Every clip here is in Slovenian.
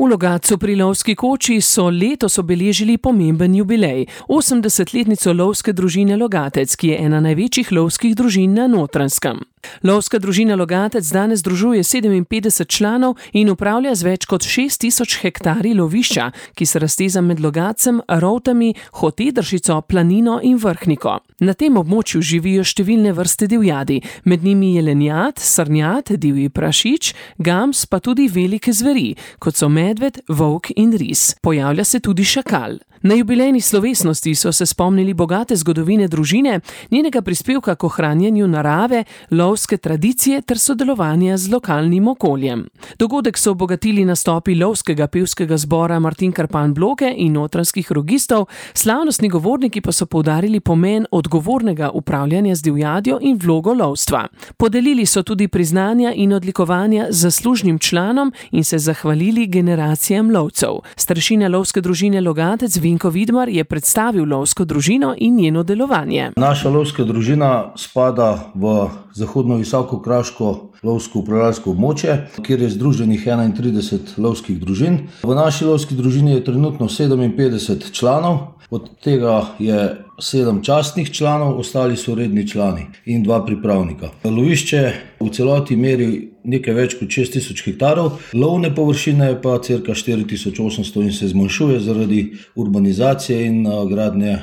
V Logatcu pri Lovski koči so letos obeležili pomemben jubilej, 80-letnico lovske družine Logatec, ki je ena največjih lovskih družin na Notranjskem. Lovska družina Logatec danes združuje 57 članov in upravlja z več kot 6000 hektarji lovišča, ki se razteza med Logatcem, Rovtami, Hotedršico, Planino in Vrhniko. Na tem območju živijo številne vrste divjadi, med njimi jelenjad, srnjad, divji prašič, gams pa tudi velike zveri, kot so medved, volk in ris. Pojavlja se tudi šakal. Na jubilejni slovesnosti so se spomnili bogate zgodovine družine, njenega prispevka k ohranjanju narave, lovske tradicije ter sodelovanja z lokalnim okoljem. Dogodek so obogatili nastopi lovskega pevskega zbora Martin Krpan Bloke in notranjskih rogistov, slavnostni govorniki pa so poudarili pomen odgovornega upravljanja z divjadjo in vlogo lovstva. Podelili so tudi priznanja in odlikovanja zaslužnim članom in se zahvalili generacijam lovcev. Starešina lovske družine Logatec Vinko Vidmar je predstavil lovsko družino in njeno delovanje. Naša lovska družina spada v zahodno visokokraško lovsko upravljalsko območje, kjer je združenih 31 lovskih družin. V naši lovski družini je trenutno 57 članov, od tega je 7 častnih članov, ostali so redni člani in 2 pripravnika. Lovišče v celoti meri nekaj več kot 6000 hektarov, lovne površine pa cirka 4800 in se zmanjšuje zaradi urbanizacije in gradnje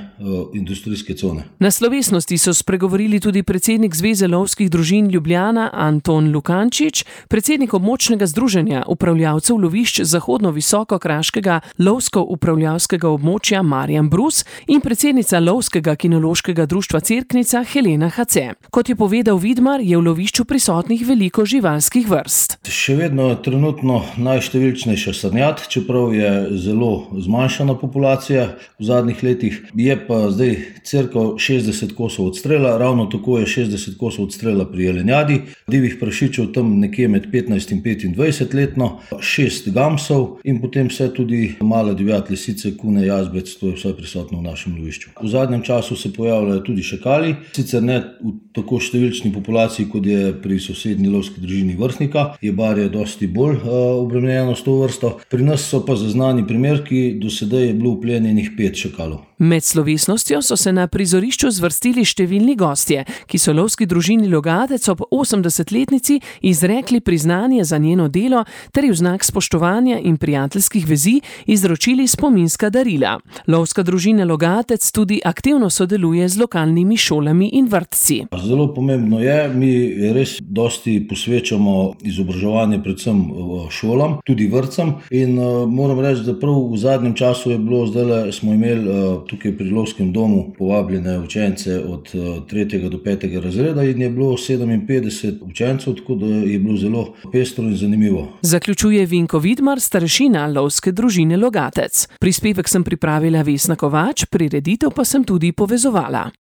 industrijske cone. Na slovesnosti so spregovorili tudi predsednik Zveze lovskih družin Ljubljana Anton Lukančič, predsednik območnega združenja upravljavcev lovišč zahodno-visokokraškega lovsko-upravljalskega območja Marjan Brus in predsednica Lovskega kinološkega društva Cerknica Helena Hace. Kot je povedal Vidmar, je v lovišču prisotnih veliko živalskih vrst. Še vedno je trenutno najštevilčnejša srnjad, čeprav je zelo zmanjšana populacija v zadnjih letih. Je pa zdaj cirka 60 kosov odstrela, ravno tako je 60 kosov odstrela pri jelenjadi, divjih prašičev tam nekje med 15 in 25 letno, 6 gamsov in potem vse tudi male divjad, lisice, kune, jazbec, to je vse prisotno v našem lovišču. V zadnjem času se pojavljajo tudi šakali, sicer ne v tako številčni populaciji, kot je pri sosednji lovski družini Vrhnika, je barje dosti bolj obremenjeno s to vrsto. Pri nas so pa zaznani primerki, do sedaj je bilo uplenjenih 5 šakalov. Med slovesnostjo so se na prizorišču zvrstili številni gostje, ki so lovski družini Logatec ob 80-letnici izrekli priznanje za njeno delo ter v znak spoštovanja in prijateljskih vezi izročili spominska darila. Lovska družina Logatec tudi aktivno sodeluje z lokalnimi šolami in vrtci. Zelo pomembno je, mi res dosti posvečamo izobraževanje predvsem šolam, tudi vrtcem in moram reči, da prav v zadnjem času je bilo, zdajle smo imeli tukaj pri lovskem domu povabljene učence od 3. do 5. razreda in je bilo 57 učencev, tako da je bilo zelo pestro in zanimivo. Zaključuje Vinko Vidmar, starešina lovske družine Logatec. Prispevek sem pripravila Vesna Kovač, prireditev pa sem tudi povezovala.